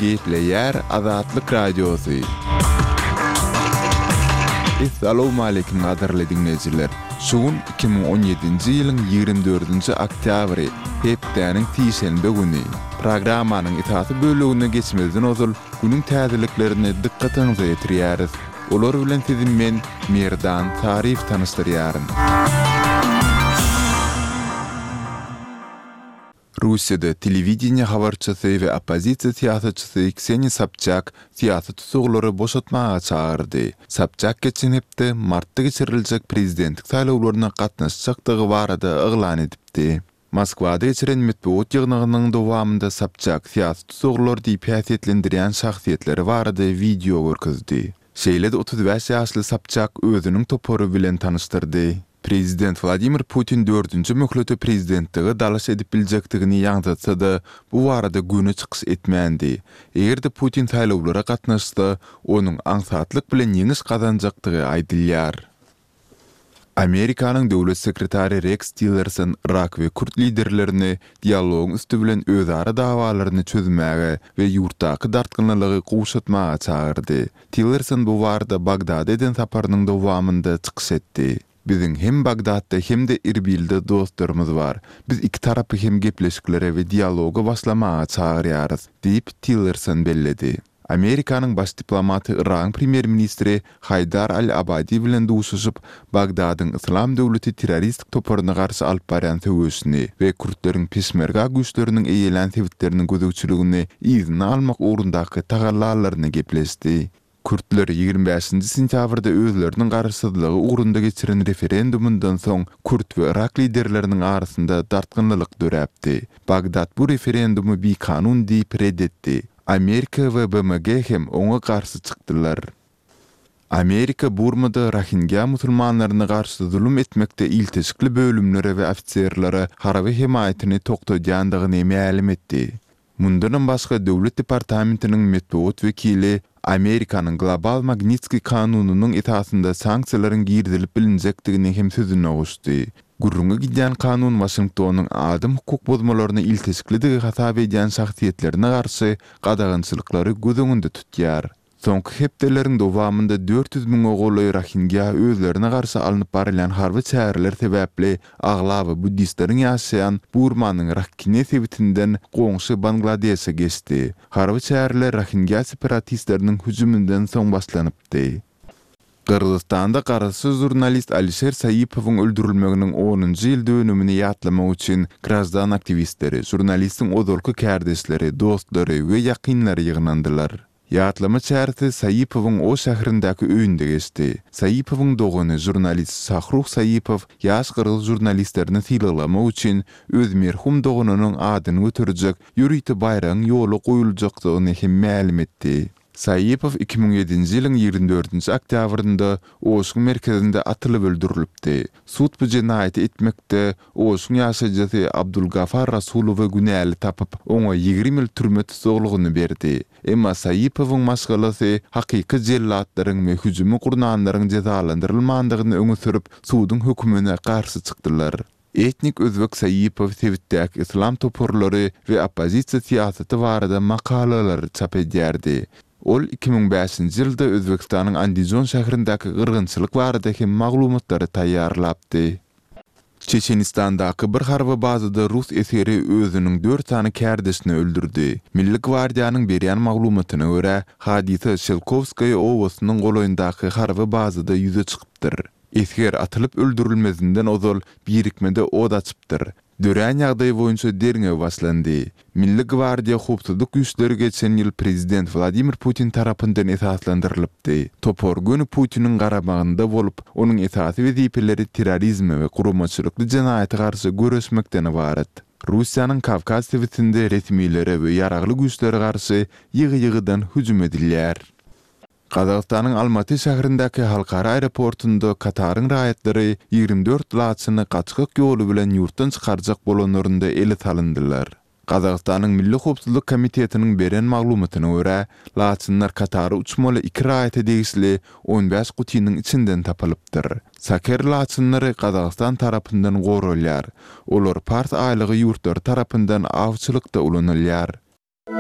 Gepleýär Azatlyk Radiosy. Essalawmaleýkim gadyrly diňleýjiler! Şu gün 2017-nji ýylyň 24-nji oktýabry, hepdäniň sişenbe güni. Programmanyň esasy bölegine geçmezden ozal günüň täzeliklerini dykgatyňyza ýetirýäris. Olar bilen sizi men, Merdan Saryýew tanyşdyrýaryn. Russiýada telewideniýe habarçysy we oppozisiýa syýasatçysy Kseniýa Sobçak syýasy tussaglary boşatmaga çagyrdy. Sobçak geçen hepde martda geçiriljek prezidentlik saýlawlaryna gatnaşjakdygy barada yglan edipdi. Moskwada geçiren metbugat ýygnagynyň dowamynda Sobçak syýasy tussaglar diýip häsiýetlendirýän şahsyýetleri barada wideo görkezdi. Şeýle-de 35 ýaşly Sobçak özüniň topary bilen tanyşdyrdy. Prezident Wladimir Putin dördünji möhlete prezidentlige dalaş edip biljekdigini ýaňzatsa-da, bu barada göni çykyş etmändi. Eger-de Putin saýlawlara gatnaşsa, onuň aňsatlyk bilen ýeňiş gazanjakdygy aýdylýar. Amerikanyň döwlet sekretary Reks Tillerson yrak we kürt liderlerini dialogyň üsti bilen özara dawalaryny çözmäge we ýurtdaky dartgynlylygy gowşatmaga çagyrdy. Tillerson bu barada Bagdada eden saparynyň dowamynda çykyş etdi. Biziň hem Bagdatda hem-de Irbilde dostlarymyz bar. Biz iki tarapy hem gepleşiklere we dialoga başlamaga çagyrýarys, diýip, Tillerson belledi. Amerikanyň baş diplomaty Yragyň premýer-ministri Haýdar al-Abadi bilen duşuşyp, Bagdadyň Yslam döwleti terroristik toparyna garşy alyp barýan söweşini we kürtleriň peşmerga güýçleriniň eýelän sebitleriniň gözegçiligini yzyna almak ugrundaky tagallalaryny gepleşdi. Kürtler 25-nji sentýabrda özleriniň garaşsyzlygy ugrunda geçiren referendumyndan soň kürt we yrak liderleriniň arasynda dartgynlylyk döräpdi. Bagdat bu referendumy bikanun diýip ret etdi. Amerika we BMG hem oňa garşy çykdylar. Amerika Burmada rohingýa musulmanlaryna garşy zulum etmekde ilteşikli bölümlere we ofiserlere harby hemaýatyny togtadýandygyny mälim etdi. Mundanam başga Döwlet departamentiniň metbugat wekili Amerikanyň Global Magnitskiý kanunynyň esasynda sanksiýalaryň girizilip bilinjekdigini hem sözüne goşdy. Gürrüňi gidýän kanun Waşingtonyň adam hukuk bozmalaryna ilteşiklidigi hasap edýän şahsyýetlerine garşy gadagançylyklary göz öňünde tutýar. Soňky hepdeleriň dowamynda 400 müňe golaý rohingýa özlerine garşy alnyp barylýan harby çäreler sebäpli aglaba buddistleriň ýaşaýan Burmanyň Rakhine sebitinden goňşy Bangladeşe geçdi. Harby çäreler rohingýa separatistleriniň hüjüminden soň başlanypdy. Gyrgyzystanda garaşsyz žurnalist Alişer Saipowyň öldürilmeginiň onunjy ýyl dönümini ýatlamak üçin graždan aktiwistleri, žurnalistiň ozalky kärdeşleri, dostlary we ýakynlary ýygnandylar. Ýatlama çäresi Saipowyň Oş şäherindäki öýünde geçdi. Saipowyň dogany, žurnalist Şahruh Saipow ýaş gyrgyz žurnalistlerini sylaglamak üçin öz merhum doganynyň adyny göterjek ýörite baýragyň ýola goýuljakdygyny hem mälim etdi. Saipow 2007-nji ýylyň 24-nji oktýabrynda Oşuň merkezinde atylyp öldürilipdi. Sud bu jenaýaty etmekde Oşuň ýaşaýjysy Abdulgafar Rasulowy günäli tapyp, oňa 20 ýyl türme tussaglygyny berdi. Emma Saipowyň maşgalasy hakyky jellatlaryň we hüjümi gurnanlaryň jezalandyrylmandygyny öňe sürüp, suduň hökümine garşy çykdylar. Etnik özbek Saipow sebitdäki yslam toparlary we oppozisiýa syýasaty barada makalalary çap edýärdi. Ol 2005-nji ýylda Özbegistanyň Andijon şäherindäki gyrgynçylyk barada hem maglumatlary taýýarlapdy. Çeçenistandaky bir harby bazada rus esgeri özüniň dört sany kärdeşini öldürdi. Milli gwardiýanyň berýän maglumatyna görä, hadysa Şelkowskaýa obasynyň golaýyndaky harby bazada ýüze çykypdyr. Esger atylyp öldürilmezinden ozal birikmede ot açypdyr. Dörän ýagdaý boýunça derňew başlandy. Milli gwardiýa howpsuzlyk güýçleri geçen ýyl prezident Wladimir Putin tarapyndan esaslandyrylypdy. Topar göni Putiniň garamagynda bolup, onuň esasy wezipeleri terrorizme we guramaçylykly jenaýata garşy göreşmekden ybarat. Russiýanyň Kawkaz sebitinde resmilere we ýaragly güýçlere garşy ýygy-ýygydan hüjüm edilýär. Gazagystanyň Almaty şäherindäki halkara aeroportunda Kataryň raýatlary 24 laçyny gaçgak ýoly bilen ýurtdan çykarjak bolanlarynda ele salyndylar. Gazagystanyň Milli howpsuzlyk komitetiniň beren maglumatyna görä, laçynlar Katara uçmaly iki raýata degişli 15 gutynyň içinden tapylypdyr. Saker laçynlary Gazagystan tarapyndan goralýar. Olar Pars aýlagy ýurtlary tarapyndan awçylykda ulanylýar.